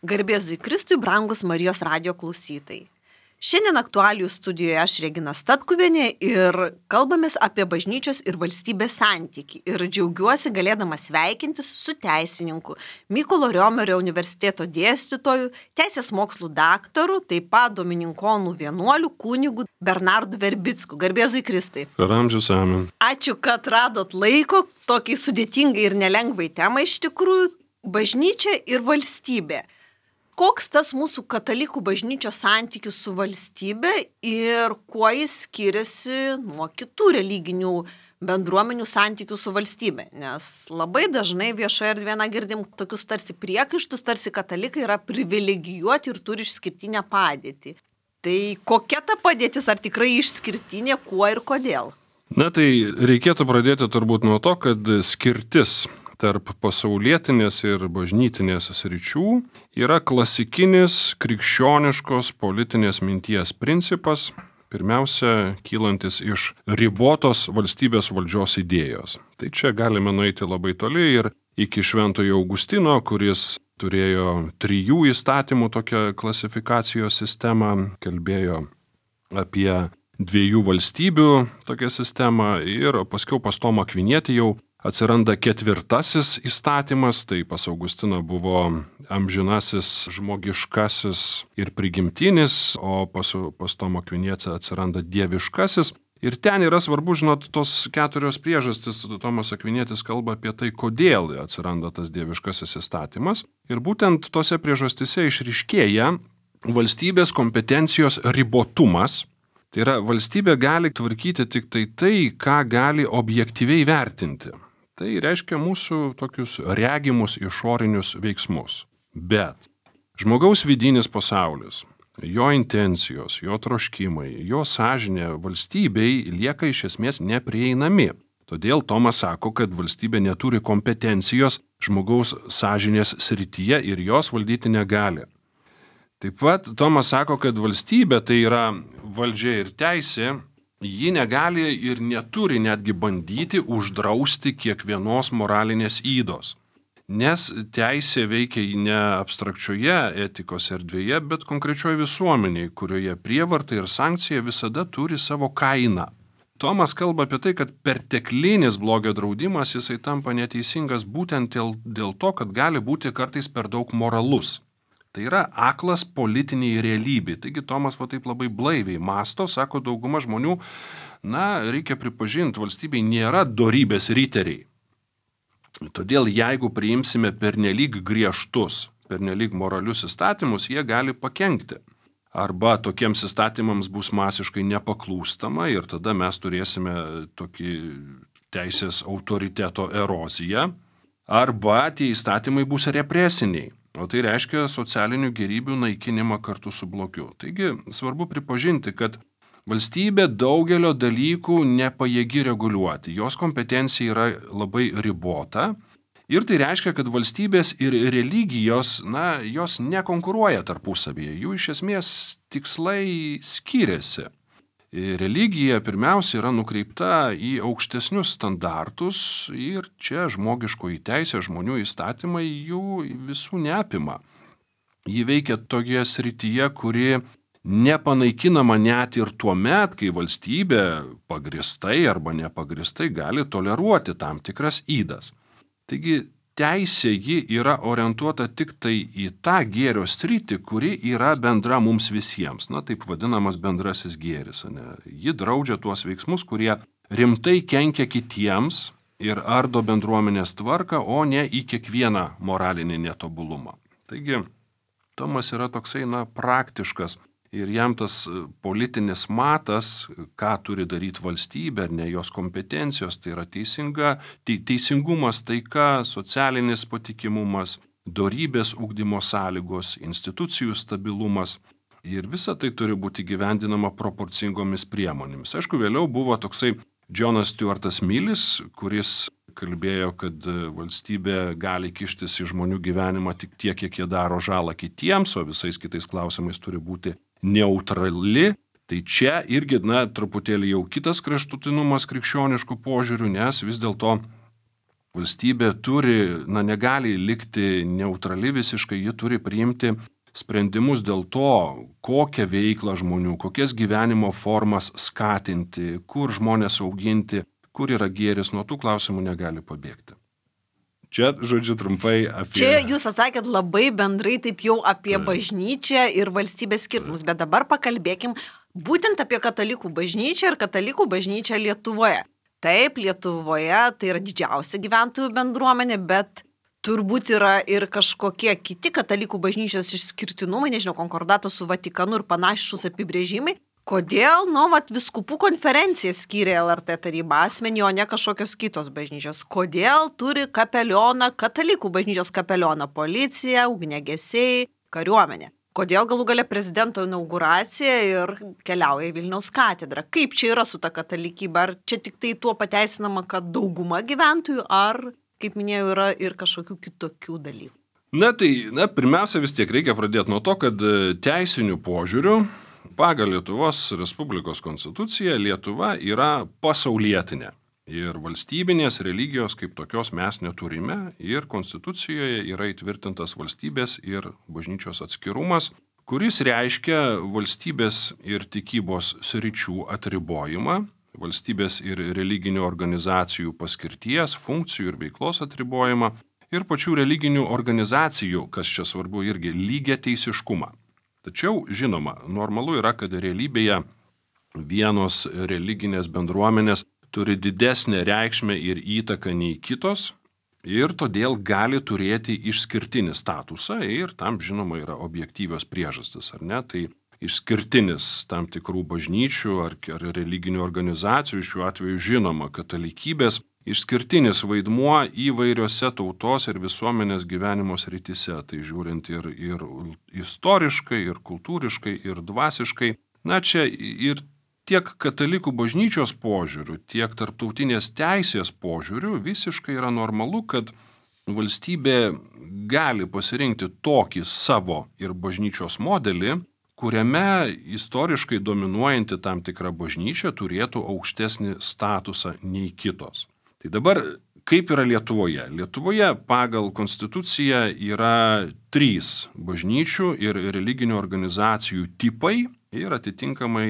Garbėzui Kristui, brangus Marijos radijo klausytojai. Šiandien aktualijų studijoje aš Regina Statkuvienė ir kalbamės apie bažnyčios ir valstybės santykį. Ir džiaugiuosi galėdama sveikintis su teisininku, Mykolo Riomerio universiteto dėstytoju, teisės mokslų daktaru, taip pat domininkonų vienuoliu kunigu Bernardu Verbicku. Garbėzui Kristui. Per amžius amen. Ačiū, kad radot laiko tokiai sudėtingai ir nelengvai temai iš tikrųjų. Bažnyčia ir valstybė. Koks tas mūsų katalikų bažnyčios santykis su valstybe ir kuo jis skiriasi nuo kitų religinių bendruomenių santykių su valstybe? Nes labai dažnai viešoje erdvėje girdim tokius tarsi priekaištus, tarsi katalikai yra privilegijuoti ir turi išskirtinę padėtį. Tai kokia ta padėtis, ar tikrai išskirtinė, kuo ir kodėl? Na tai reikėtų pradėti turbūt nuo to, kad skirtis tarp pasaulietinės ir bažnytinės sričių yra klasikinis krikščioniškos politinės minties principas, pirmiausia, kylantis iš ribotos valstybės valdžios idėjos. Tai čia galime nueiti labai toli ir iki Šventojo Augustino, kuris turėjo 3 įstatymų tokią klasifikacijos sistemą, kalbėjo apie 2 valstybių tokią sistemą ir paskiau pas Tomą Akvinietį jau atsiranda 4 įstatymas, tai pas Augustiną buvo amžinasis, žmogiškasis ir prigimtinis, o pas Tomą Akvinietį atsiranda dieviškasis. Ir ten yra svarbu, žinot, tos 4 priežastis. Tomas Akvinietis kalba apie tai, kodėl atsiranda tas dieviškasis įstatymas. Ir būtent tose priežastise išryškėja valstybės kompetencijos ribotumas. Tai yra, valstybė gali tvarkyti tik tai, ką gali objektyviai vertinti. Tai reiškia mūsų tokius regimus išorinius veiksmus. Bet žmogaus vidinis pasaulis, jo intencijos, jo troškimai, jo sąžinė valstybei lieka iš esmės neprieinami. Todėl Tomas sako, kad valstybė neturi kompetencijos žmogaus sąžinės srityje ir jos valdyti negali. Taip pat Tomas sako, kad valstybė, tai yra valdžia ir teisė, ji negali ir neturi netgi bandyti uždrausti kiekvienos moralinės ydos. Nes teisė veikia ne abstrakčioje etikos erdvėje, bet konkrečioje visuomenėje, kurioje prievarta ir sankcija visada turi savo kainą. Tomas kalba apie tai, kad perteklinis blogio draudimas jisai tampa neteisingas būtent dėl to, kad gali būti kartais per daug moralus. Tai yra aklas politiniai realybė. Taigi Tomas taip labai blaiviai masto, sako dauguma žmonių, reikia pripažinti, valstybei nėra dorybės riteriai. Todėl jeigu priimsime pernelyg griežtus, pernelyg moralius įstatymus, jie gali pakenkti. Arba tokiems įstatymams bus masiškai nepaklūstama ir tada mes turėsime tokį teisės autoriteto eroziją, arba tie įstatymai bus represiniai. O tai reiškia socialinių gėrybių naikinimą kartu su blogiu. Taigi svarbu pripažinti, kad valstybė daugelio dalykų nepajėgi reguliuoti. Jos kompetencija yra labai ribota. Ir tai reiškia, kad valstybės ir religijos, jos nekonkuruoja tarpusavyje. Jų iš esmės tikslai skiriasi. Religija pirmiausia yra nukreipta į aukštesnius standartus ir čia žmogiškoji teisė, žmonių įstatymai jų visų neapima. Ji veikia tokioje srityje, kuri nepanaikinama net ir tuo met, kai valstybė pagristai arba nepagristai gali toleruoti tam tikras ydas. Taigi teisė ji yra orientuota tik tai į tą gėrio sritį, kuri yra bendra mums visiems, taip vadinamas bendrasis gėris. Ji draudžia tuos veiksmus, kurie rimtai kenkia kitiems ir ardo bendruomenės tvarką, o ne į kiekvieną moralinį netobulumą. Taigi, Tomas yra toksai praktiškas ir jam tas politinis matas, ką turi daryti valstybė, ar ne jos kompetencijos, tai yra teisingumas, taika, socialinis patikimumas, dorybės ugdymo sąlygos, institucijų stabilumas. Ir visa tai turi būti gyvendinama proporcingomis priemonėmis. Aišku, vėliau buvo toksai Jonas Stuartas Millis, kuris kalbėjo, kad valstybė gali kištis į žmonių gyvenimą tik tiek, kiek jie daro žalą kitiems, o visais kitais klausimais turi būti neutrali. Tai čia irgi, truputėlį jau kitas kraštutinumas krikščioniškų požiūrių, nes vis dėlto valstybė negali likti neutrali visiškai, ji turi priimti sprendimus dėl to, kokią veiklą žmonių, kokias gyvenimo formas skatinti, kur žmonės auginti, kur yra gėris, nuo tų klausimų negali pabėgti. Čia, žodžiu, trumpai apie... Čia jūs atsakėt labai bendrai taip jau apie bažnyčią ir valstybės skirtumus, bet dabar pakalbėkim būtent apie katalikų bažnyčią ir katalikų bažnyčią Lietuvoje. Taip, Lietuvoje tai yra didžiausia gyventojų bendruomenė, bet turbūt yra ir kažkokie kiti katalikų bažnyčios išskirtinumai, nežinau, konkordato su Vatikanu ir panašus apibrėžimai. Kodėl, viskupų konferencija skyrė LRT taryba asmenį, o ne kažkokios kitos bažnyčios? Kodėl turi kapelioną, katalikų bažnyčios kapelioną, policija, ugniagesiai, kariuomenė? Kodėl galų gale prezidento inauguracija ir keliauja į Vilniaus katedrą? Kaip čia yra su ta katalikybė? Ar čia tik tai tuo pateisinama, kad dauguma gyventojų, ar, kaip minėjau, yra ir kažkokių kitokių dalykų? Pirmiausia, vis tiek reikia pradėti nuo to, kad teisinių požiūrių pagal Lietuvos Respublikos konstituciją Lietuva yra pasaulietinė. Ir valstybinės religijos kaip tokios mes neturime. Ir konstitucijoje yra įtvirtintas valstybės ir bažnyčios atskirumas, kuris reiškia valstybės ir tikybos sričių atribojimą, valstybės ir religinių organizacijų paskirties, funkcijų ir veiklos atribojimą ir pačių religinių organizacijų, kas čia svarbu irgi, lygiateisiškumą. Tačiau, žinoma, normalu yra, kad realybėje vienos religinės bendruomenės turi didesnę reikšmę ir įtaką nei kitos ir todėl gali turėti išskirtinį statusą ir tam, žinoma, yra objektyvios priežastis, ar ne? Tai išskirtinis tam tikrų bažnyčių ar religinių organizacijų, šiuo atveju žinoma, katalikybės išskirtinis vaidmuo įvairiose tautos ir visuomenės gyvenimo srityse, tai žiūrint ir istoriškai, ir kultūriškai, ir dvasiškai. Čia ir tiek katalikų bažnyčios požiūrių, tiek tarptautinės teisės požiūrių visiškai yra normalu, kad valstybė gali pasirinkti tokį savo ir bažnyčios modelį, kuriame istoriškai dominuojanti tam tikra bažnyčia turėtų aukštesnį statusą nei kitos. Tai dabar, kaip yra Lietuvoje? Lietuvoje pagal konstituciją yra 3 bažnyčių ir religinių organizacijų tipai ir atitinkamai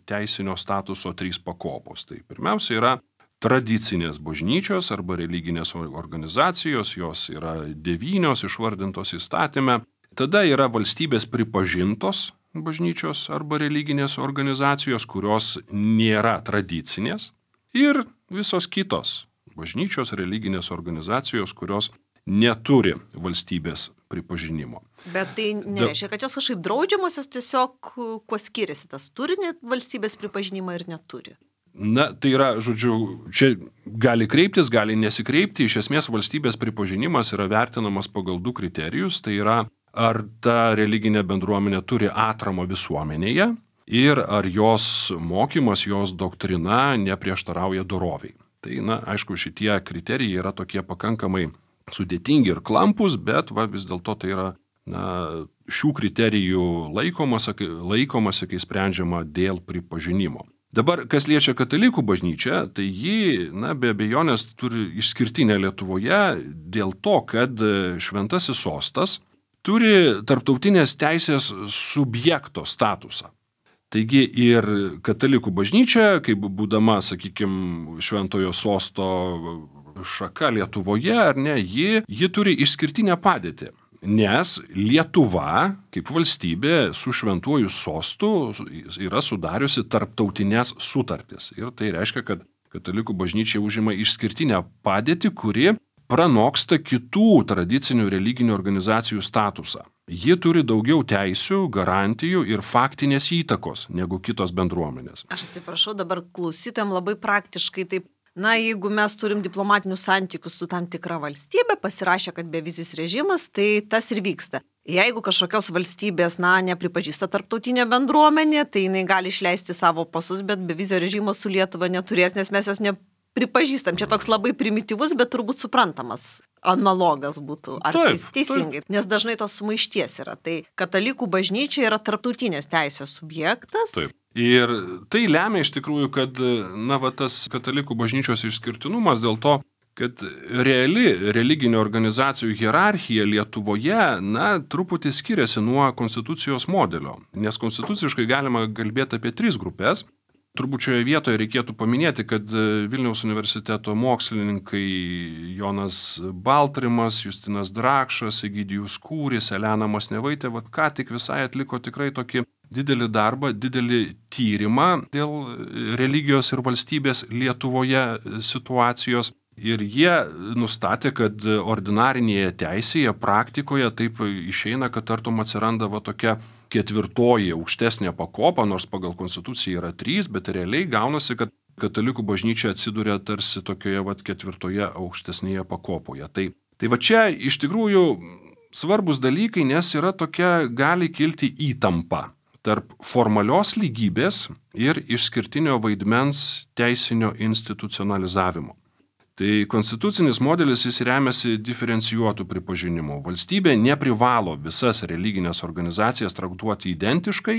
teisinio statuso 3 pakopos. Tai pirmiausia yra tradicinės bažnyčios arba religinės organizacijos, jos yra 9 išvardintos įstatyme. Tada yra valstybės pripažintos bažnyčios arba religinės organizacijos, kurios nėra tradicinės. Ir visos kitos bažnyčios religinės organizacijos, kurios neturi valstybės pripažinimo. Bet tai nereiškia, kad jos kažkaip draudžiamosios, tiesiog kuo skiriasi tas turi valstybės pripažinimą ir neturi. Tai yra, žodžiu, čia gali kreiptis, gali nesikreipti. Iš esmės valstybės pripažinimas yra vertinamas pagal 2 kriterijus. Tai yra, ar ta religinė bendruomenė turi atramą visuomenėje ir ar jos mokymas, jos doktrina neprieštarauja doroviai. Tai, aišku, šitie kriterijai yra tokie pakankamai sudėtingi ir klampus, bet vis dėlto tai yra šių kriterijų laikomasi, kai sprendžiama dėl pripažinimo. Dabar, kas liečia katalikų bažnyčią, tai ji, be abejonės, turi išskirtinę Lietuvoje dėl to, kad Šventasis Sostas turi tarptautinės teisės subjekto statusą. Taigi ir katalikų bažnyčia, kaip būdama, sakykime, Šventojo Sosto šaka Lietuvoje, ar ne, ji turi išskirtinę padėtį. Nes Lietuva, kaip valstybė, su Šventuoju Sostu yra sudariusi tarptautinės sutartis. Ir tai reiškia, kad katalikų bažnyčia užima išskirtinę padėtį, kuri pranoksta kitų tradicinių religinių organizacijų statusą. Ji turi daugiau teisių, garantijų ir faktinės įtakos negu kitos bendruomenės. Aš atsiprašau, dabar klausytojams labai praktiškai taip. Jeigu mes turim diplomatinius santykius su tam tikra valstybė, pasirašė, kad bevizis režimas, tai tas ir vyksta. Jeigu kažkokios valstybės, nepripažįsta tarptautinė bendruomenė, tai jinai gali išleisti savo pasus, bet bevizio režimo su Lietuva neturės, nes mes jos nepripažįstam. Čia toks labai primityvus, bet turbūt suprantamas analogas būtų. Ar teisingai? Nes dažnai tos sumaišties yra. Tai katalikų bažnyčia yra tarptautinės teisės subjektas. Taip. Ir tai lemia iš tikrųjų, kad tas katalikų bažnyčios išskirtinumas dėl to, kad reali religinių organizacijų hierarchija Lietuvoje, truputį skiriasi nuo konstitucijos modelio, nes konstituciškai galima kalbėti apie 3 grupės. Turbūt šioje vietoje reikėtų paminėti, kad Vilniaus universiteto mokslininkai Jonas Baltrimas, Justinas Drakšas, Egidijus Kūris, Elena Masnevaitė, ką tik visai atliko tikrai tokį didelį darbą, didelį tyrimą dėl religijos ir valstybės Lietuvoje situacijos. Ir jie nustatė, kad ordinarinėje teisėje, praktikoje taip išeina, kad tartum atsiranda tokia 4. aukštesnė pakopa, nors pagal konstituciją yra 3, bet realiai gaunasi, kad katalikų bažnyčia atsiduria tarsi tokioje 4. aukštesnėje pakopoje. Tai čia iš tikrųjų svarbus dalykai, nes yra tokia, gali kilti įtampa tarp formalios lygybės ir išskirtinio vaidmens teisinio institucionalizavimo. Tai konstitucinis modelis jis remiasi diferencijuotų pripažinimu. Valstybė neprivalo visas religinės organizacijas traktuoti identiškai,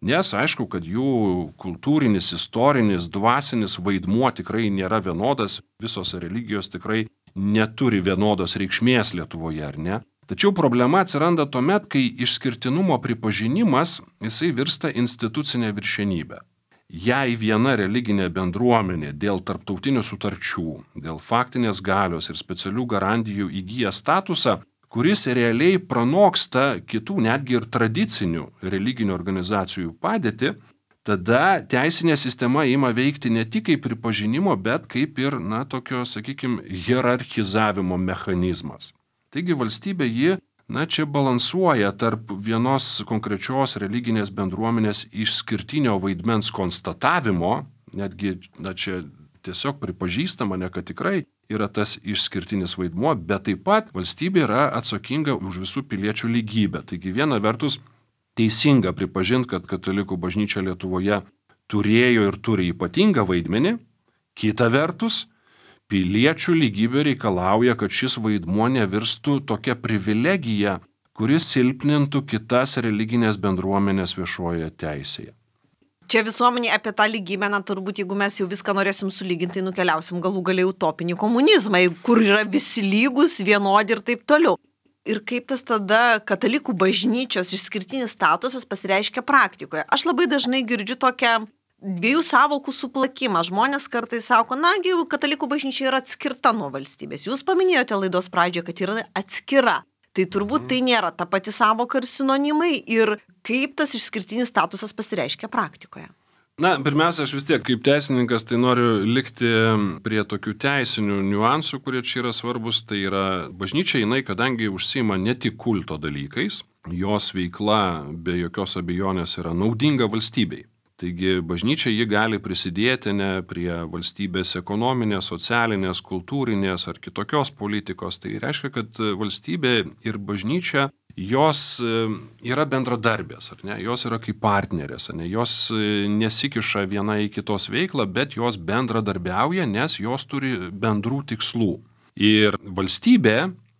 nes aišku, kad jų kultūrinis, istorinis, dvasinis vaidmuo tikrai nėra vienodas, visos religijos tikrai neturi vienodos reikšmės Lietuvoje, ar ne? Tačiau problema atsiranda tuomet, kai išskirtinumo pripažinimas jisai virsta institucinė viršenybė. Jei viena religinė bendruomenė dėl tarptautinių sutarčių, dėl faktinės galios ir specialių garantijų įgyja statusą, kuris realiai pranoksta kitų netgi ir tradicinių religinių organizacijų padėtį, tada teisinė sistema ima veikti ne tik kaip pripažinimo, bet kaip ir, tokio, hierarchizavimo mechanizmas. Taigi valstybė ji čia balansuoja tarp vienos konkrečios religinės bendruomenės išskirtinio vaidmens konstatavimo, netgi čia tiesiog pripažįstama, kad tikrai yra tas išskirtinis vaidmuo, bet taip pat valstybė yra atsakinga už visų piliečių lygybę. Taigi viena vertus teisinga pripažinti, kad katalikų bažnyčia Lietuvoje turėjo ir turi ypatingą vaidmenį, kita vertus piliečių lygybė reikalauja, kad šis vaidmuo nevirstų tokia privilegija, kuris silpnintų kitas religinės bendruomenės viešojoje teisėje. Čia visuomenė apie tą lygybę, turbūt jeigu mes jau viską norėsim sulyginti, tai nukeliausim galų galiai utopinį komunizmą, kur yra visi lygus, vienodi ir taip toliau. Ir kaip tas tada katalikų bažnyčios išskirtinis statusas pasireiškia praktikoje. Aš labai dažnai girdžiu tokią 2 sąvokų suplakimą. Žmonės kartais sako, katalikų bažnyčia yra atskirta nuo valstybės. Jūs paminėjote laidos pradžioje, kad yra atskira. Tai turbūt tai nėra ta pati sąvoka ir sinonimai. Ir kaip tas išskirtinis statusas pasireiškia praktikoje? Pirmiausia, aš vis tiek kaip teisininkas tai noriu likti prie tokių teisinių niuansų, kurie čia yra svarbus. Tai yra bažnyčia, jinai, kadangi užsiima ne tik kulto dalykais, jos veikla be jokios abejonės yra naudinga valstybei. Taigi bažnyčia ji gali prisidėti ne prie valstybės ekonominės, socialinės, kultūrinės ar kitokios politikos. Tai reiškia, kad valstybė ir bažnyčia jos yra bendradarbės, ar ne? Jos yra kaip partnerės, ar ne? Jos nesikiša viena į kitos veiklą, bet jos bendradarbiauja, nes jos turi bendrų tikslų. Ir valstybė,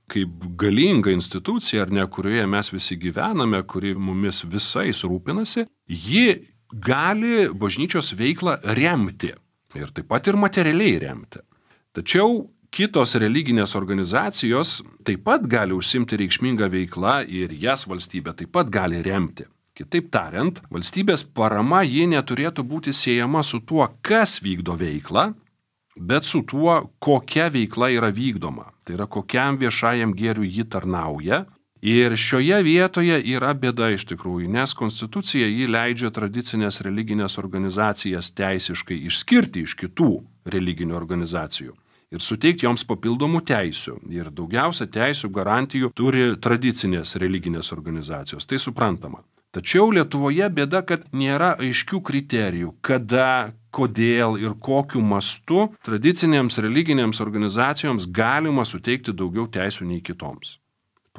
kaip galinga institucija, ar ne, kurioje mes visi gyvename, kuri mumis visais rūpinasi, ji gali bažnyčios veiklą remti ir taip pat ir materialiai remti. Tačiau kitos religinės organizacijos taip pat gali užsimti reikšmingą veiklą ir jas valstybė taip pat gali remti. Kitaip tariant, valstybės parama ji neturėtų būti siejama su tuo, kas vykdo veiklą, bet su tuo, kokia veikla yra vykdoma. Tai yra, kokiam viešajam gėriui ji tarnauja. Ir šioje vietoje yra bėda iš tikrųjų, nes konstitucija jį leidžia tradicinės religinės organizacijas teisiškai išskirti iš kitų religinių organizacijų ir suteikti joms papildomų teisių. Ir daugiausia teisių garantijų turi tradicinės religinės organizacijos, tai suprantama. Tačiau Lietuvoje bėda, kad nėra aiškių kriterijų, kada, kodėl ir kokiu mastu tradicinėms religinėms organizacijoms galima suteikti daugiau teisių nei kitoms.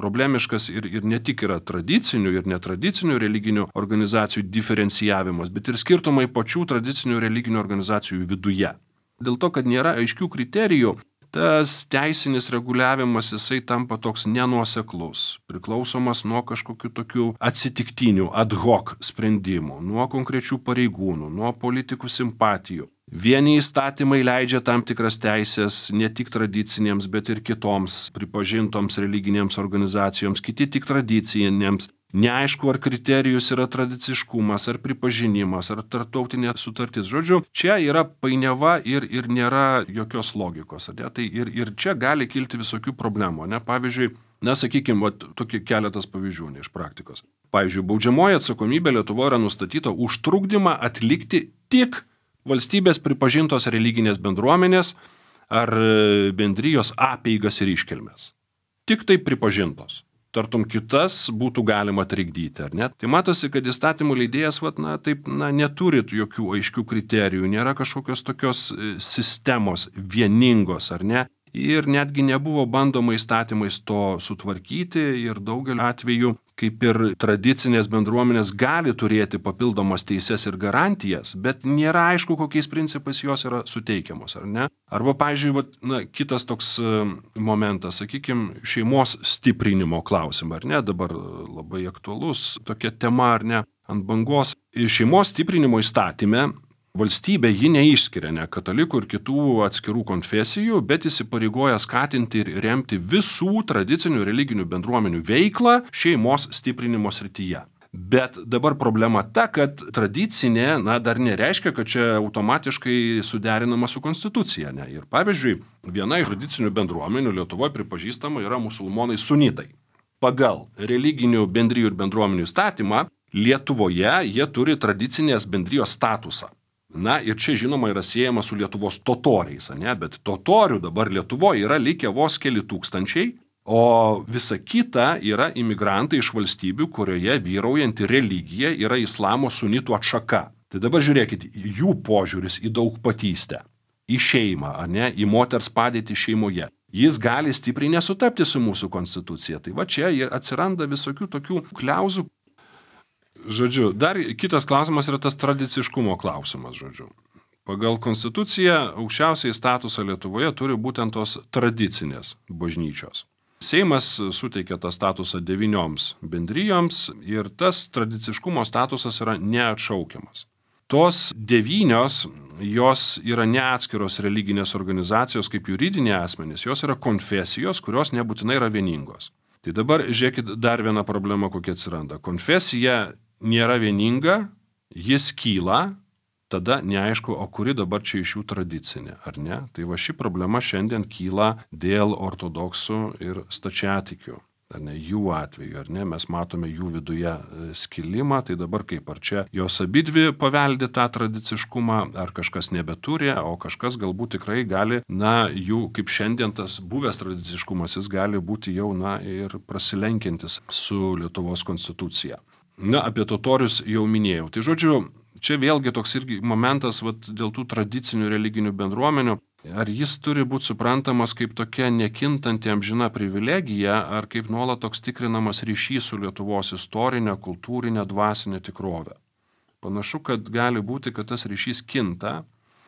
Problemiškas ir ne tik yra tradicinių ir netradicinių religinių organizacijų diferencijavimas, bet ir skirtumai pačių tradicinių religinių organizacijų viduje. Dėl to, kad nėra aiškių kriterijų, tas teisinis reguliavimas jisai tampa toks nenuoseklus, priklausomas nuo kažkokių tokių atsitiktinių ad hoc sprendimų, nuo konkrečių pareigūnų, nuo politikų simpatijų. Vieni įstatymai leidžia tam tikras teisės ne tik tradicinėms, bet ir kitoms pripažintoms religinėms organizacijoms, kiti tik tradicinėms. Neaišku, ar kriterijus yra tradiciškumas, ar pripažinimas, ar tarptautinė sutartis. Žodžiu, čia yra painiava ir nėra jokios logikos. Tai ir čia gali kilti visokių problemų. Pavyzdžiui, sakykime, tokie keletas pavyzdžių iš praktikos. Pavyzdžiui, baudžiamoji atsakomybė Lietuvoje yra nustatyta už trukdymą atlikti tik valstybės pripažintos religinės bendruomenės ar bendrijos apeigas ir iškilmes. Tik tai pripažintos. Tartum kitas būtų galima trikdyti, ar ne? Tai matosi, kad įstatymų leidėjas neturi jokių aiškių kriterijų, nėra kažkokios tokios sistemos vieningos, ar ne? Ir netgi nebuvo bandoma įstatymais to sutvarkyti ir daugeliu atveju, kaip ir tradicinės bendruomenės gali turėti papildomas teises ir garantijas, bet nėra aišku, kokiais principais jos yra suteikiamos, ar ne? Arba, pavyzdžiui, kitas toks momentas, sakykime, šeimos stiprinimo klausimą, ar ne? Dabar labai aktualus tokia tema, ar ne? Ant bangos. Šeimos stiprinimo įstatyme valstybė ji neišskiria katalikų ir kitų atskirų konfesijų, bet įsipareigoja skatinti ir remti visų tradicinių religinių bendruomenių veiklą šeimos stiprinimo srityje. Bet dabar problema ta, kad tradicinė, dar nereiškia, kad čia automatiškai suderinama su konstitucija. Ir pavyzdžiui, viena iš tradicinių bendruomenių Lietuvoje pripažįstama yra musulmonai sunitai. Pagal religinių bendrijų ir bendruomenių įstatymą Lietuvoje jie turi tradicinės bendrijos statusą. Ir čia žinoma yra siejama su Lietuvos totoriais, bet totorių dabar Lietuvoje yra likę vos keli tūkstančiai, o visa kita yra imigrantai iš valstybių, kurioje vyraujanti religija yra islamo sunitų atšaka. Tai dabar žiūrėkit, jų požiūris į daugpatystę, į šeimą, į moters padėtį šeimoje. Jis gali stipriai nesutapti su mūsų konstitucija. Tai čia atsiranda visokių tokių kliauzų. Žodžiu, dar kitas klausimas yra tas tradiciškumo klausimas, žodžiu. Pagal konstituciją aukščiausiai statusą Lietuvoje turi būtent tos tradicinės bažnyčios. Seimas suteikia tą statusą 9 bendrijoms ir tas tradiciškumo statusas yra neatšaukiamas. Tos 9, jos yra ne atskiros religinės organizacijos kaip juridiniai asmenys, jos yra konfesijos, kurios nebūtinai yra vieningos. Tai dabar žiūrėkit dar vieną problemą, kokia atsiranda. Konfesija nėra vieninga, jis kyla, tada neaišku, o kuri dabar čia iš jų tradicinė, ar ne? Tai ši problema šiandien kyla dėl ortodoksų ir stačiatikių, ar ne, jų atveju, ar ne? Mes matome jų viduje skilimą, tai dabar kaip, ar čia jos abidvi paveldi tą tradiciškumą, ar kažkas nebeturi, o kažkas galbūt tikrai gali, jų kaip šiandien tas buvęs tradiciškumas, jis gali būti jau, ir prasilenkiantis su Lietuvos konstitucija. Apie totorius jau minėjau. Tai žodžiu, čia vėlgi toks irgi momentas dėl tų tradicinių religinių bendruomenių. Ar jis turi būti suprantamas kaip tokia nekintanti amžina privilegija, ar kaip nuolat toks tikrinamas ryšys su Lietuvos istorinė, kultūrinė, dvasinė tikrovė? Panašu, kad gali būti, kad tas ryšys kinta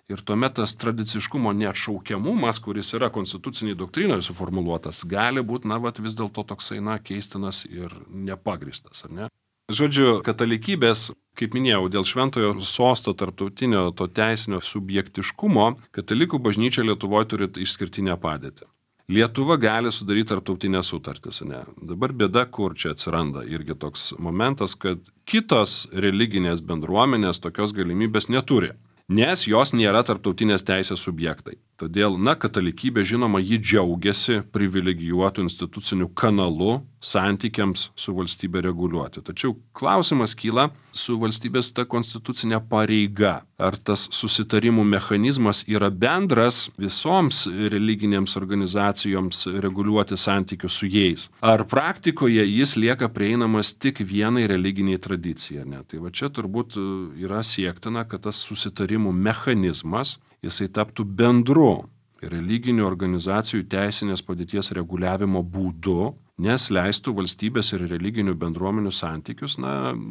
ir tuomet tas tradiciškumo neatšaukiamumas, kuris yra konstituciniai doktrinoje suformuluotas, gali būti, vis dėlto toksai, keistinas ir nepagristas, ar ne? Žodžiu, katalikybės, kaip minėjau, dėl šventojo sosto tarptautinio to teisinio subjektiškumo, katalikų bažnyčia Lietuvoje turi išskirtinę padėtį. Lietuva gali sudaryti tarptautinės sutartis, ne? Dabar bėda, kur čia atsiranda irgi toks momentas, kad kitos religinės bendruomenės tokios galimybės neturi, nes jos nėra tarptautinės teisės subjektai. Todėl, katalikybė, žinoma, ji džiaugiasi privilegijuotų institucinių kanalų santykiams su valstybė reguliuoti. Tačiau klausimas kyla su valstybės ta konstitucinė pareiga. Ar tas susitarimų mechanizmas yra bendras visoms religinėms organizacijoms reguliuoti santykius su jais? Ar praktikoje jis lieka prieinamas tik vienai religiniai tradicijai? Ne? Tai čia turbūt yra siektina, kad tas susitarimų mechanizmas jisai taptų bendru religinių organizacijų teisinės padėties reguliavimo būdu, nes leistų valstybės ir religinių bendruomenių santykius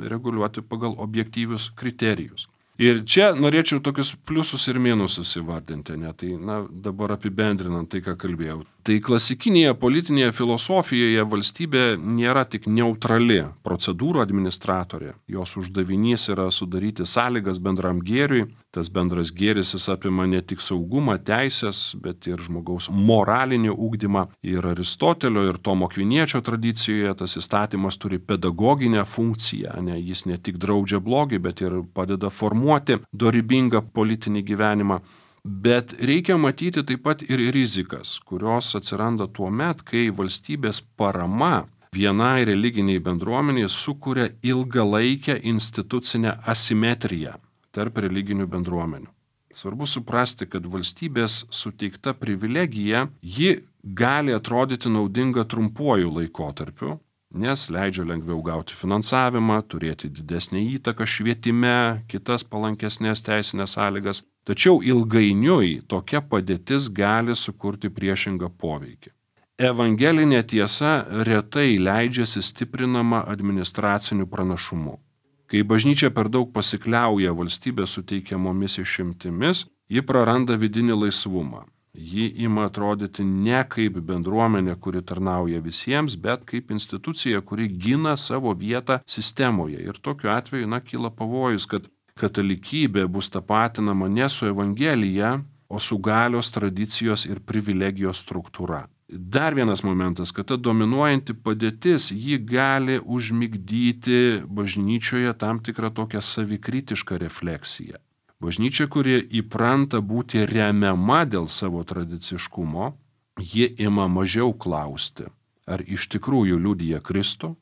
reguliuoti pagal objektyvius kriterijus. Ir čia norėčiau tokius pliusus ir minusus įvardinti. Tai dabar apibendrinant tai, ką kalbėjau. Tai klasikinėje politinėje filosofijoje valstybė nėra tik neutrali procedūrų administratorė. Jos uždavinys yra sudaryti sąlygas bendram gėriui. Tas bendras gėris jis apima ne tik saugumą, teisės, bet ir žmogaus moralinį ugdymą. Ir Aristotelio ir Tomo Akviniečio tradicijoje tas įstatymas turi pedagoginę funkciją. Jis ne tik draudžia blogį, bet ir padeda formuoti dorybingą politinį gyvenimą. Bet reikia matyti taip pat ir rizikas, kurios atsiranda tuo met, kai valstybės parama vienai religiniai bendruomeniai sukuria ilgalaikę institucinę asimetriją tarp religinių bendruomenių. Svarbu suprasti, kad valstybės suteikta privilegija, ji gali atrodyti naudinga trumpuoju laikotarpiu, nes leidžia lengviau gauti finansavimą, turėti didesnę įtaką švietime, kitas palankesnės teisinės sąlygas. Tačiau ilgainiui tokia padėtis gali sukurti priešingą poveikį. Evangelinė tiesa retai leidžiasi stiprinama administraciniu pranašumu. Kai bažnyčia per daug pasikliauja valstybės suteikiamomis išimtimis, ji praranda vidinį laisvumą. Ji ima atrodyti ne kaip bendruomenė, kuri tarnauja visiems, bet kaip institucija, kuri gina savo vietą sistemoje. Ir tokiu atveju kyla pavojus, kad katalikybė bus tapatinama ne su Evangelija, o su galios, tradicijos ir privilegijos struktūra. Dar vienas momentas, kad ta dominuojanti padėtis, ji gali užmigdyti bažnyčioje tam tikrą tokią savikritišką refleksiją. Bažnyčia, kuri įpranta būti remiama dėl savo tradiciškumo, ji ima mažiau klausti, ar iš tikrųjų liudija Kristų,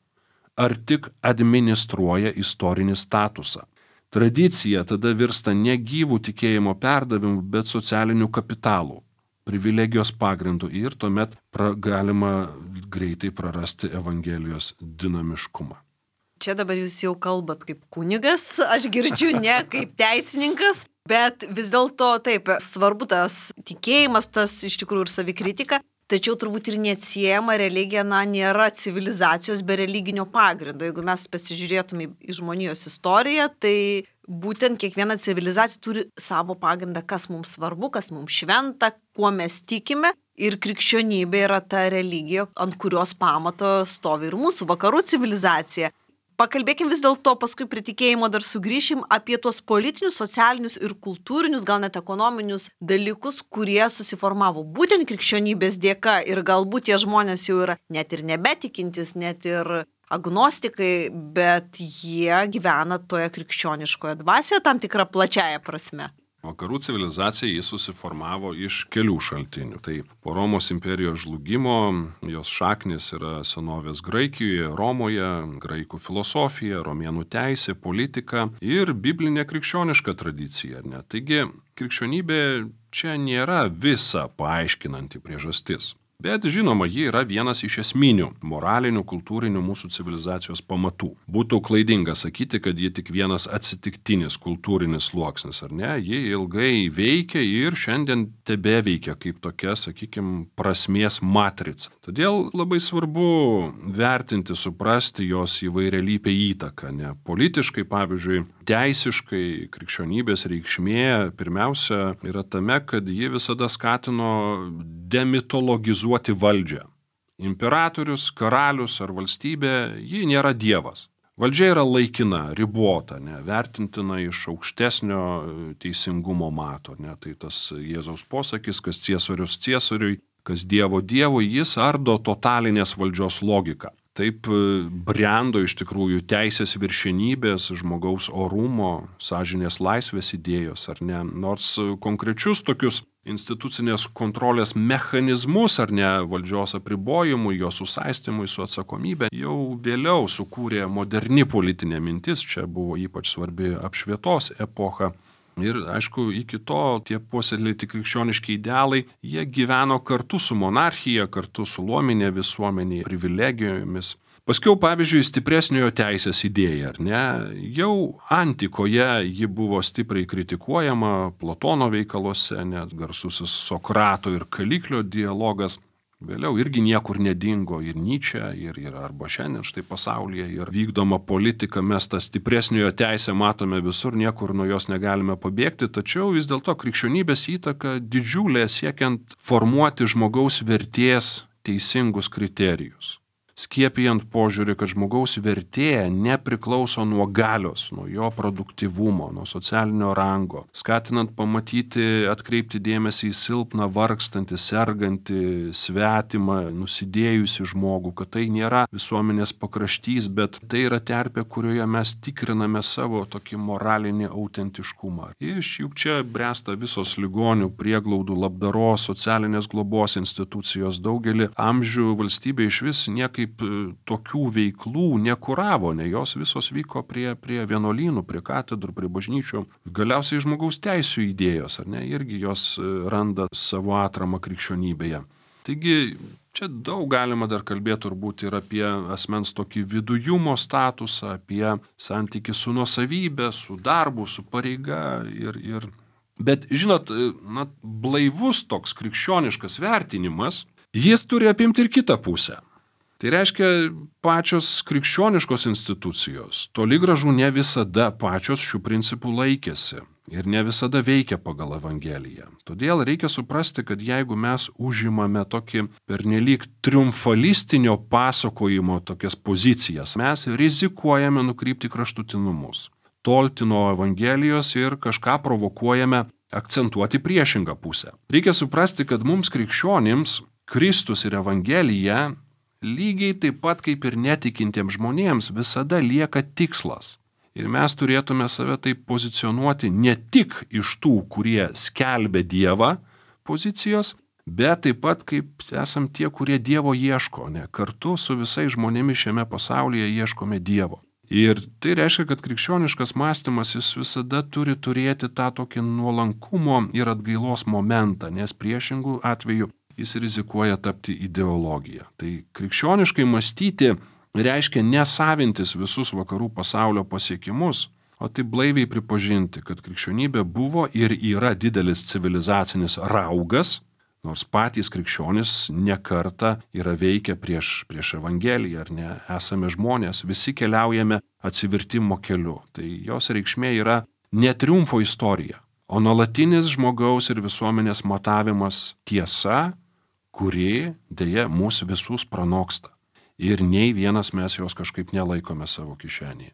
ar tik administruoja istorinį statusą. Tradicija tada virsta ne gyvų tikėjimo perdavimu, bet socialiniu kapitalu, privilegijos pagrindu ir tuomet galima greitai prarasti Evangelijos dinamiškumą. Čia dabar jūs jau kalbat kaip kunigas, aš girdžiu ne kaip teisininkas, bet vis dėlto taip, svarbu tas tikėjimas, tas iš tikrųjų ir savikritika, tačiau turbūt ir neatsiejama religija, nėra civilizacijos be religinio pagrindo. Jeigu mes pasižiūrėtume į žmonijos istoriją, tai būtent kiekviena civilizacija turi savo pagrindą, kas mums svarbu, kas mums šventa, kuo mes tikime. Ir krikščionybė yra ta religija, ant kurios pamato stovi ir mūsų vakarų civilizacija. Pakalbėkim vis dėlto, paskui prie tikėjimo dar sugrįšim apie tuos politinius, socialinius ir kultūrinius, gal net ekonominius dalykus, kurie susiformavo būtent krikščionybės dėka ir galbūt tie žmonės jau yra net ir nebetikintis, net ir agnostikai, bet jie gyvena toje krikščioniškoje dvasioje tam tikrą plačiaja prasme. Vakarų civilizacija jis susiformavo iš kelių šaltinių. Tai po Romos imperijos žlugimo jos šaknis yra senovės Graikijoje, Romoje, graikų filosofija, romėnų teisė, politika ir biblinė krikščioniška tradicija. Taigi krikščionybė čia nėra visa paaiškinanti priežastis. Bet žinoma, ji yra vienas iš esminių moralinių, kultūrinių mūsų civilizacijos pamatų. Būtų klaidinga sakyti, kad ji tik vienas atsitiktinis kultūrinis sluoksnis, ar ne? Ji ilgai veikia ir šiandien tebeveikia kaip tokia, sakykime, prasmės matrica. Todėl labai svarbu vertinti, suprasti jos įvairialypę įtaką. Politiškai, pavyzdžiui, teisiškai krikščionybės reikšmė pirmiausia yra tame, kad ji visada skatino demitologizuoti valdžią. Imperatorius, karalius ar valstybė, ji nėra dievas. Valdžia yra laikina, ribota, vertintina iš aukštesnio teisingumo mato. Tai tas Jėzaus posakis, kas ciesorius ciesoriui, kas dievo dievui, jis ardo totalinės valdžios logiką. Taip brendo iš tikrųjų teisės viršenybės, žmogaus orumo, sąžinės laisvės idėjos, ar ne? Nors konkrečius tokius institucinės kontrolės mechanizmus, ar ne, valdžios apribojimui, jos susaistymui su atsakomybė, jau vėliau sukūrė moderni politinė mintis, čia buvo ypač svarbi apšvietos epocha. Ir, aišku, iki to tie puoselėti krikščioniški idealai, jie gyveno kartu su monarchija, kartu su luominė visuomenė, privilegijomis. Paskiau, pavyzdžiui, stipresniojo teisės idėja, ar ne? Jau antikoje ji buvo stipriai kritikuojama, Platono veikaluose, net garsusis Sokrato ir Kaliklio dialogas. Vėliau irgi niekur nedingo ir Nyčė, ir arba šiandien štai pasaulyje, ir vykdoma politika, mes tą stipresniojo teisę matome visur, niekur nuo jos negalime pabėgti, tačiau vis dėlto krikščionybės įtaka didžiulė siekiant formuoti žmogaus vertės teisingus kriterijus. Skiepijant požiūrį, kad žmogaus vertė nepriklauso nuo galios, nuo jo produktyvumo, nuo socialinio rango, skatinant pamatyti, atkreipti dėmesį į silpną, vargstantį, sergantį, svetimą, nusidėjusi žmogų, kad tai nėra visuomenės pakraštys, bet tai yra terpė, kurioje mes tikriname savo tokį moralinį autentiškumą. Juk čia bręsta visos ligonių, prieglaudų, labdaros, socialinės globos institucijos, daugelį amžių valstybė iš vis niekaip tokių veiklų nekuravo, ne jos visos vyko prie vienuolynų, prie katedrų, prie bažnyčių. Galiausiai žmogaus teisių idėjos, ar ne, irgi jos randa savo atramą krikščionybėje. Taigi, čia daug galima dar kalbėti turbūt ir apie asmens tokį vidujumo statusą, apie santykį su nuosavybė, su darbu, su pareiga ir. Bet, žinot, blaivus toks krikščioniškas vertinimas, jis turi apimti ir kitą pusę. Tai reiškia, pačios krikščioniškos institucijos toli gražu ne visada pačios šių principų laikėsi ir ne visada veikia pagal Evangeliją. Todėl reikia suprasti, kad jeigu mes užimame tokį pernelyg triumfalistinio pasakojimo tokias pozicijas, mes rizikuojame nukrypti kraštutinumus, tolti nuo Evangelijos ir kažką provokuojame akcentuoti priešingą pusę. Reikia suprasti, kad mums krikščionims Kristus ir Evangelija lygiai taip pat kaip ir netikintiems žmonėms visada lieka tikslas. Ir mes turėtume save taip pozicionuoti ne tik iš tų, kurie skelbia Dievą pozicijos, bet taip pat kaip esam tie, kurie Dievo ieško, ne? Kartu su visais žmonėmis šiame pasaulyje ieškome Dievo. Ir tai reiškia, kad krikščioniškas mąstymas jis visada turi turėti tą tokį nuolankumo ir atgailos momentą, nes priešingų atveju jis rizikuoja tapti ideologija. Tai krikščioniškai mąstyti reiškia nesavintis visus vakarų pasaulio pasiekimus, o tai blaiviai pripažinti, kad krikščionybė buvo ir yra didelis civilizacinis raugas, nors patys krikščionys nekartą yra veikę prieš Evangeliją, ar ne, esame žmonės, visi keliaujame atsivertimo keliu. Tai jos reikšmė yra ne triumfo istorija, o nuolatinis žmogaus ir visuomenės matavimas tiesa, kuri dėja mūsų visus pranoksta. Ir nei vienas mes jos kažkaip nelaikome savo kišenėje.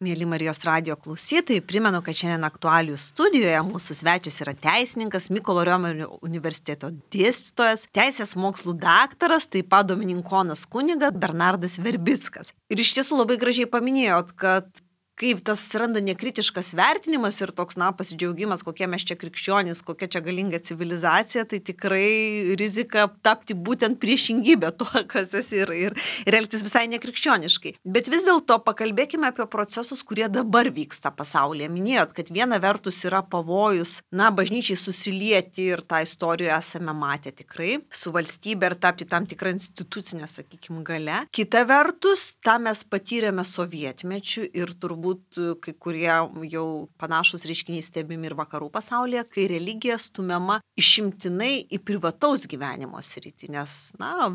Mėly Marijos radijo klausytojai, primenu, kad šiandien aktualijų studijoje mūsų svečias yra teisininkas, Mykolo Riomerio universiteto dėstytojas, teisės mokslų daktaras, taip pat dominikonas kunigas Bernardas Verbickas. Ir iš tiesų labai gražiai paminėjot, kad kaip tas atsiranda nekritiškas vertinimas ir toks, pasidžiaugimas, kokie mes čia krikščionys, kokia čia galinga civilizacija, tai tikrai rizika tapti būtent priešingybė to, kas esi ir elgtis visai nekrikščioniškai. Bet vis dėlto pakalbėkime apie procesus, kurie dabar vyksta pasaulyje. Minėjot, kad viena vertus yra pavojus, bažnyčiai susilieti ir tą istoriją esame matę tikrai, su valstybe ir tapti tam tikrą institucinę, sakykime, gale. Kita vertus, tą mes patyrėme sovietmečiu ir turbūt kai kurie jau panašus reiškiniai stebimi ir vakarų pasaulyje, kai religija stumiama išimtinai į privataus gyvenimo sritį, nes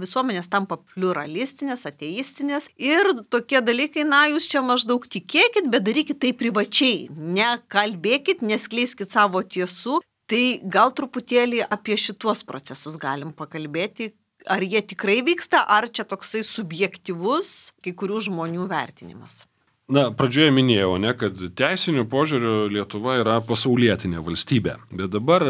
visuomenės tampa pluralistinės, ateistinės ir tokie dalykai, jūs čia maždaug tikėkit, bet darykit tai privačiai, nekalbėkit, neskleiskit savo tiesų. Tai gal truputėlį apie šituos procesus galim pakalbėti, ar jie tikrai vyksta, ar čia toksai subjektyvus kai kurių žmonių vertinimas. Pradžioje minėjau, kad teisiniu požiūriu Lietuva yra pasaulietinė valstybė. Bet dabar,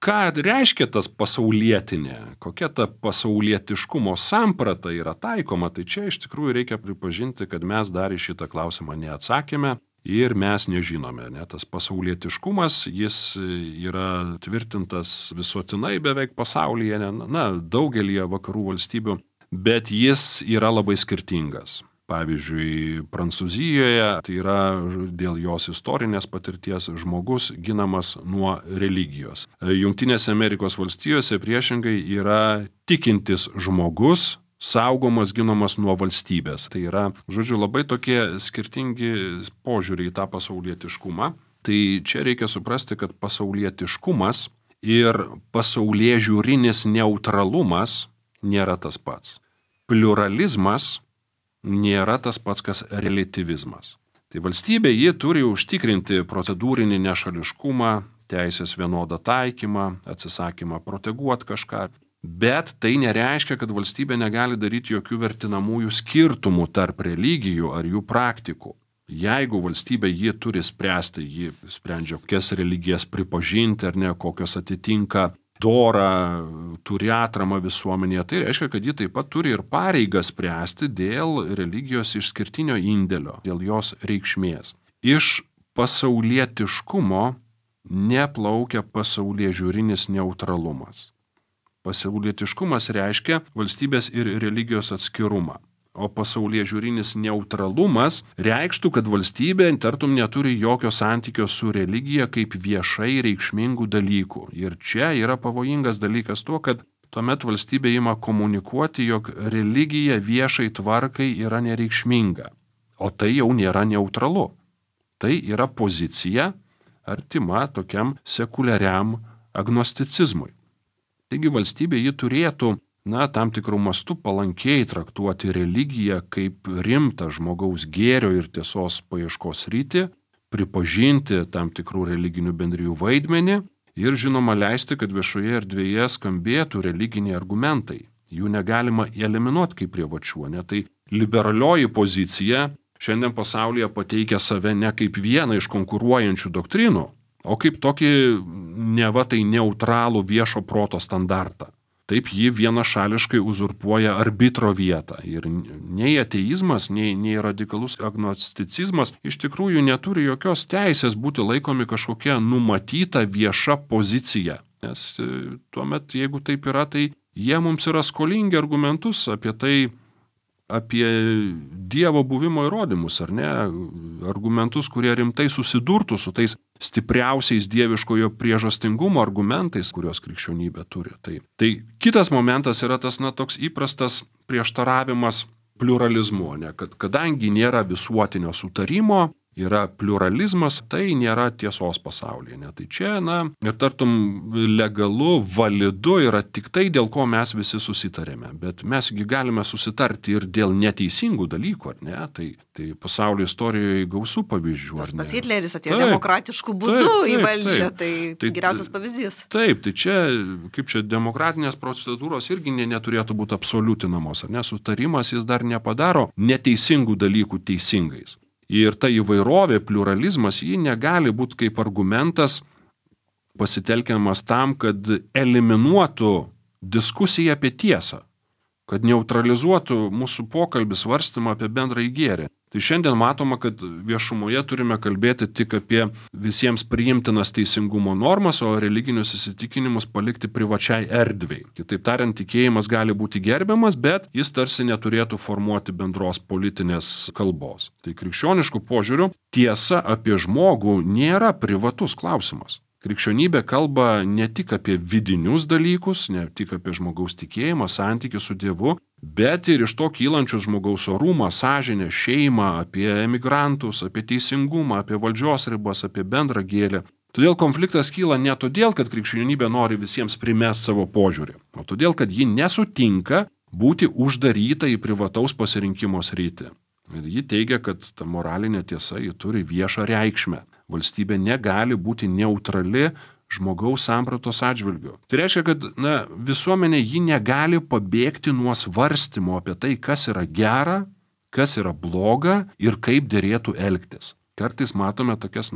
ką reiškia tas pasaulietinė, kokia ta pasaulietiškumo samprata yra taikoma, tai čia iš tikrųjų reikia pripažinti, kad mes dar į šitą klausimą neatsakėme ir mes nežinome. Tas pasaulietiškumas, jis yra tvirtintas visuotinai beveik pasaulyje, daugelyje vakarų valstybių, bet jis yra labai skirtingas. Pavyzdžiui, Prancūzijoje tai yra dėl jos istorinės patirties žmogus ginamas nuo religijos. Jungtinėse Amerikos valstijose priešingai yra tikintis žmogus saugomas, ginamas nuo valstybės. Tai yra, labai tokie skirtingi požiūriai į tą pasaulietiškumą. Tai čia reikia suprasti, kad pasaulietiškumas ir pasaulėžiūrinis neutralumas nėra tas pats. Pliuralizmas nėra tas pats, kas reliatyvizmas. Tai valstybė ji turi užtikrinti procedūrinį nešališkumą, teisės vienodą taikymą, atsisakymą proteguoti kažką. Bet tai nereiškia, kad valstybė negali daryti jokių vertinamųjų skirtumų tarp religijų ar jų praktikų. Jeigu valstybė ji turi spręsti, ji sprendžia, kokias religijas pripažinti ar ne, kokios atitinka dorą, turi atramą visuomenėje, tai reiškia, kad ji taip pat turi ir pareigą spręsti dėl religijos išskirtinio indėlio, dėl jos reikšmės. Iš pasaulietiškumo neplaukia pasauliežiūrinis neutralumas. Pasaulietiškumas reiškia valstybės ir religijos atskirumą, o pasauliežiūrinis neutralumas reikštų, kad valstybė tartum neturi jokio santykio su religija kaip viešai reikšmingų dalykų. Ir čia yra pavojingas dalykas tuo, kad tuomet valstybė ima komunikuoti, jog religija viešai tvarkai yra nereikšminga, o tai jau nėra neutralu. Tai yra pozicija artima tokiam sekuliariam agnosticizmui. Taigi valstybė ji turėtų, tam tikrų mastų palankiai traktuoti religiją kaip rimtą žmogaus gėrio ir tiesos paieškos sritį, pripažinti tam tikrų religinių bendrijų vaidmenį ir žinoma leisti, kad viešoje erdvėje skambėtų religiniai argumentai. Jų negalima eliminuoti kaip privačių, ne? Tai liberalioji pozicija šiandien pasaulyje pateikia save ne kaip vieną iš konkuruojančių doktrinų, o kaip tokį neva tai neutralų viešo proto standartą. Taip ji vienašališkai uzurpuoja arbitro vietą ir nei ateizmas, nei radikalus agnosticizmas iš tikrųjų neturi jokios teisės būti laikomi kažkokia numatyta vieša pozicija. Nes tuomet, jeigu taip yra, tai jie mums yra skolingi argumentus apie tai, apie Dievo buvimo įrodymus, ar ne, argumentus, kurie rimtai susidurtų su tais stipriausiais dieviškojo priežastingumo argumentais, kuriuos krikščionybė turi. Tai kitas momentas yra tas toks įprastas prieštaravimas pliuralizmu, ne, kad kadangi nėra visuotinio sutarimo, yra pliuralizmas, tai nėra tiesos pasaulyje. Ne? Tai čia, ir tartum legalu, validu yra tik tai, dėl ko mes visi susitarėme. Bet mesgi galime susitarti ir dėl neteisingų dalykų, ar ne? Tai pasaulio istorijoje gausų pavyzdžių. Tas pats Hitleris atėjo demokratiškų būdų į valdžią, tai geriausias pavyzdys. Taip, tai čia, kaip čia, demokratinės procedūros irgi neturėtų būti absoliutinamos, ar ne? Sutarimas jis dar nepadaro neteisingų dalykų teisingais. Ir ta įvairovė, pliuralizmas, ji negali būti kaip argumentas pasitelkiamas tam, kad eliminuotų diskusiją apie tiesą, kad neutralizuotų mūsų pokalbį svarstymą apie bendrąjį gėrį. Tai šiandien matoma, kad viešumoje turime kalbėti tik apie visiems priimtinas teisingumo normas, o religinius įsitikinimus palikti privačiai erdvei. Kitaip tariant, tikėjimas gali būti gerbiamas, bet jis tarsi neturėtų formuoti bendros politinės kalbos. Tai krikščioniškų požiūrių tiesa apie žmogų nėra privatus klausimas. Krikščionybė kalba ne tik apie vidinius dalykus, ne tik apie žmogaus tikėjimą, santykių su Dievu, bet ir iš to kylančius žmogaus orumą, sąžinę, šeimą, apie emigrantus, apie teisingumą, apie valdžios ribas, apie bendrą gėrį. Todėl konfliktas kyla ne todėl, kad krikščionybė nori visiems primesti savo požiūrį, o todėl, kad ji nesutinka būti uždaryta į privataus pasirinkimo sritį. Ir ji teigia, kad ta moralinė tiesa ji turi viešą reikšmę. Valstybė negali būti neutrali žmogaus sampratos atžvilgiu. Tai reiškia, kad visuomenė ji negali pabėgti nuo svarstymo apie tai, kas yra gera, kas yra bloga ir kaip derėtų elgtis. Kartais matome tokias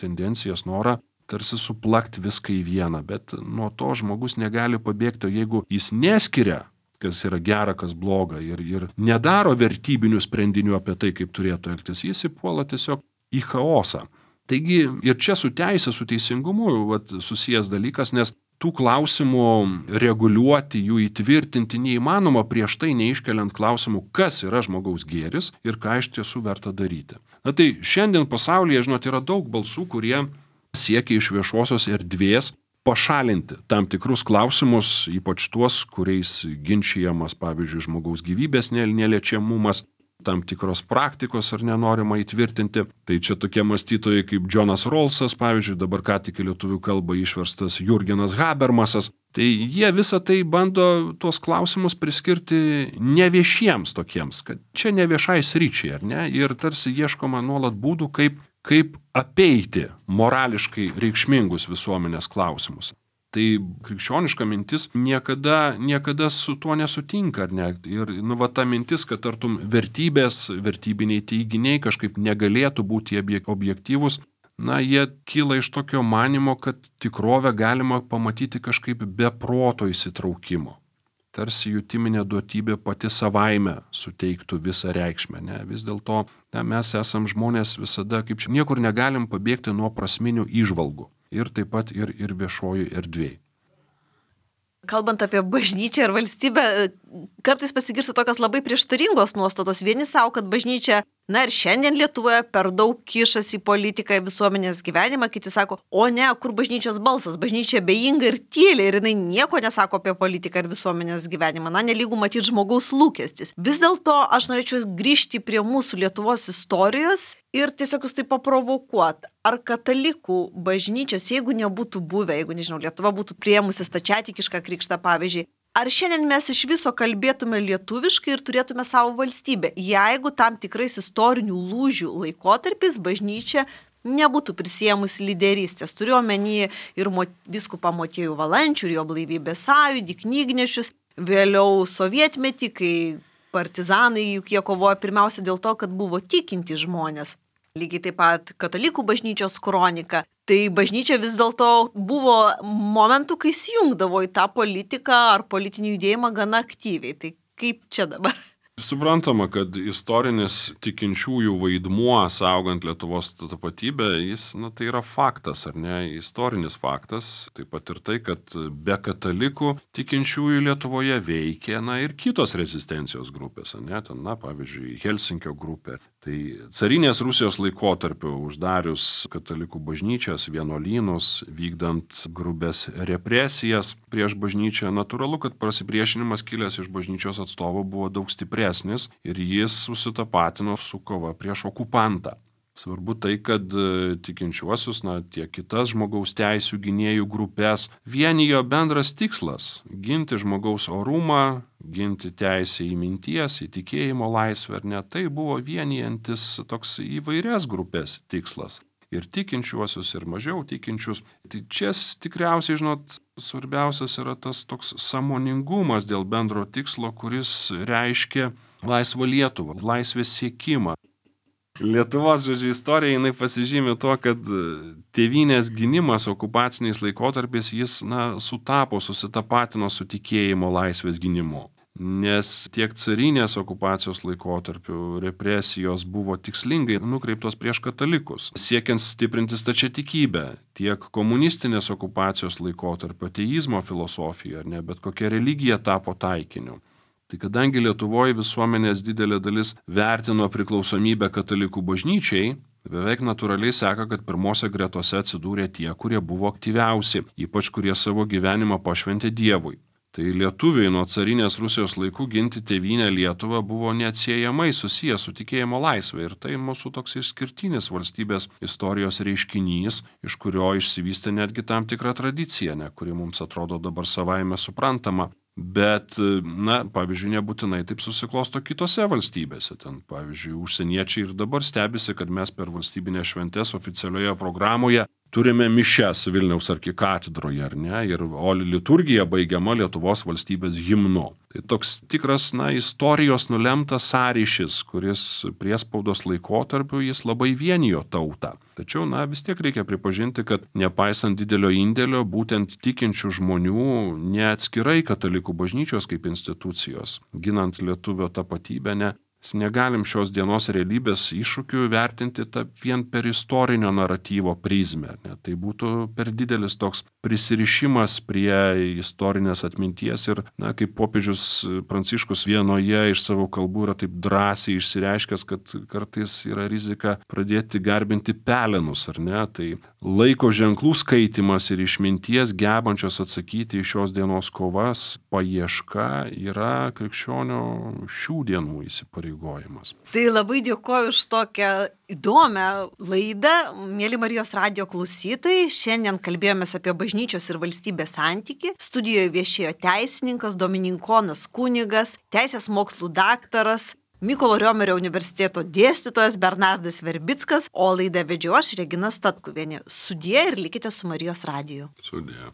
tendencijas, norą tarsi suplakti viską į vieną, bet nuo to žmogus negali pabėgti, jeigu jis neskiria, kas yra gera, kas bloga ir nedaro vertybinių sprendinių apie tai, kaip turėtų elgtis, jis įpuola tiesiog į chaosą. Taigi ir čia su teisė, su teisingumu susijęs dalykas, nes tų klausimų reguliuoti, jų įtvirtinti neįmanoma prieš tai neiškeliant klausimų, kas yra žmogaus gėris ir ką iš tiesų verta daryti. Tai šiandien pasaulyje, yra daug balsų, kurie siekia iš viešosios erdvės pašalinti tam tikrus klausimus, ypač tuos, kuriais ginčijamas, pavyzdžiui, žmogaus gyvybės neliečiamumas, tam tikros praktikos ar nenorima įtvirtinti. Tai čia tokie mąstytojai kaip Džonas Rawlsas, pavyzdžiui, dabar ką tik į lietuvių kalbą išverstas Jurgenas Habermasas. Tai jie visą tai bando tuos klausimus priskirti neviešiems tokiems, kad čia neviešai sričiai, ar ne? Ir tarsi ieškoma nuolat būdų, kaip apeiti morališkai reikšmingus visuomenės klausimus. Tai krikščioniška mintis niekada su tuo nesutinka, ar ne? Ir ta mintis, kad tartum vertybiniai teiginiai kažkaip negalėtų būti objektyvūs, jie kyla iš tokio manimo, kad tikrovę galima pamatyti kažkaip be proto įsitraukimo. Tarsi jutiminė duotybė pati savaime suteiktų visą reikšmę. Ne? Vis dėlto mes esam žmonės visada, kaip čia, niekur negalim pabėgti nuo prasminių įžvalgų. Ir taip pat ir viešojų erdvėj. Kalbant apie bažnyčią ir valstybę, kartais pasigirsta tokios labai prieštaringos nuostatos. Vieni savo, kad bažnyčia, ir šiandien Lietuvoje per daug kišasi į politiką, į visuomenės gyvenimą, kiti sako, o ne, kur bažnyčios balsas, bažnyčia bejinga ir tyli ir jinai nieko nesako apie politiką ir visuomenės gyvenimą, nelygų matyti žmogaus lūkestis. Vis dėlto aš norėčiau grįžti prie mūsų Lietuvos istorijos ir tiesiog jūs tai paprovokuot. Ar katalikų bažnyčios, jeigu nebūtų buvę, jeigu, Lietuva būtų priėmusi stačiatikišką krikštą, pavyzdžiui, ar šiandien mes iš viso kalbėtume lietuviškai ir turėtume savo valstybę, jeigu tam tikrais istorinių lūžių laikotarpiais bažnyčia nebūtų prisėmusi lyderystės. Turiu omeny ir vyskupą Motiejų Valančių, ir jo Blaivybės sąjūdį, knygnešius, vėliau sovietmetį, kai partizanai juk jie kovojo pirmiausia dėl to, kad buvo tikinti žmonės. Lygiai taip pat katalikų bažnyčios kronika. Tai bažnyčia vis dėlto buvo momentų, kai įsijungdavo į tą politiką ar politinį judėjimą gana aktyviai. Tai kaip čia dabar? Suprantama, kad istorinis tikinčiųjų vaidmuo saugant Lietuvos tapatybę, jis, tai yra faktas, ar ne, istorinis faktas. Taip pat ir tai, kad be katalikų tikinčiųjų Lietuvoje veikė, ir kitos rezistencijos grupės, ne, ten, pavyzdžiui, Helsinkio grupė. Tai carinės Rusijos laikotarpiu uždarius katalikų bažnyčias, vienuolynus, vykdant grubes represijas prieš bažnyčią, natūralu, kad pasipriešinimas kilęs iš bažnyčios atstovų buvo daug stipresnis ir jis susitapatino su kova prieš okupantą. Svarbu tai, kad tikinčiuosius, tiek kitas žmogaus teisių gynėjų grupės vienijo bendras tikslas – ginti žmogaus orumą, ginti teisę į minties, į tikėjimo laisvę, ar ne. Tai buvo vienijantis toks įvairias grupės tikslas. Ir tikinčiuosius, ir mažiau tikinčius. Tai čia tikriausiai, svarbiausias yra tas toks sąmoningumas dėl bendro tikslo, kuris reiškia laisvą Lietuvą, laisvės siekimą. Lietuvos, istorija, jinai pasižymi tuo, kad tėvynės gynimas okupaciniais laikotarpiais, jis, susitapatino su tikėjimo laisvės gynimu. Nes tiek carinės okupacijos laikotarpiu represijos buvo tikslingai nukreiptos prieš katalikus, siekiant stiprinti stačiatikybę, tiek komunistinės okupacijos laikotarpio ateizmo filosofija, ar ne, bet kokia religija tapo taikiniu. Tai kadangi Lietuvoje visuomenės didelė dalis vertino priklausomybę katalikų bažnyčiai, beveik natūraliai seka, kad pirmose gretose atsidūrė tie, kurie buvo aktyviausi, ypač kurie savo gyvenimą pašventė Dievui. Tai lietuviai nuo carinės Rusijos laikų ginti tėvynę Lietuvą buvo neatsiejamai susijęs su tikėjimo laisvė ir tai mūsų toks išskirtinis valstybės istorijos reiškinys, iš kurio išsivystė netgi tam tikra tradicija, kuri mums atrodo dabar savaime suprantama. Bet, pavyzdžiui, nebūtinai taip susiklosto kitose valstybėse. Ten, pavyzdžiui, užsieniečiai ir dabar stebisi, kad mes per valstybinės šventės oficialioje programoje turime mišias Vilniaus arkikatedroje, ar ne, o liturgija baigiama Lietuvos valstybės himnu. Tai toks tikras, istorijos nulemtas sąryšis, kuris priespaudos laikotarpiu jis labai vienijo tautą. Tačiau, vis tiek reikia pripažinti, kad nepaisant didelio indėlio, būtent tikinčių žmonių neatskirai katalikų bažnyčios kaip institucijos, ginant lietuvio tapatybę, negalim šios dienos realybės iššūkių vertinti vien per istorinio naratyvo prizmę. Tai būtų per didelis toks prisirišimas prie istorinės atminties ir, kaip popiežius Pranciškus vienoje iš savo kalbų yra taip drąsiai išsireiškęs, kad kartais yra rizika pradėti garbinti pelenus, ar ne? Tai laiko ženklų skaitimas ir išminties gebančios atsakyti į šios dienos kovas paieška yra krikščionio šių dienų įsipareigojimas. Tai labai dėkoju už tokią įdomią laidą, mėly Marijos radijo klausytojai. Šiandien kalbėjomės apie bažnyčios ir valstybės santykį. Studijoje viešėjo teisininkas, domininkonas kunigas, teisės mokslų daktaras, Mykolo Riomerio universiteto dėstytojas Bernardas Verbickas, o laidą vedžiau aš, Regina Statkuvienė. Sudie ir likite su Marijos radiju. Sudie.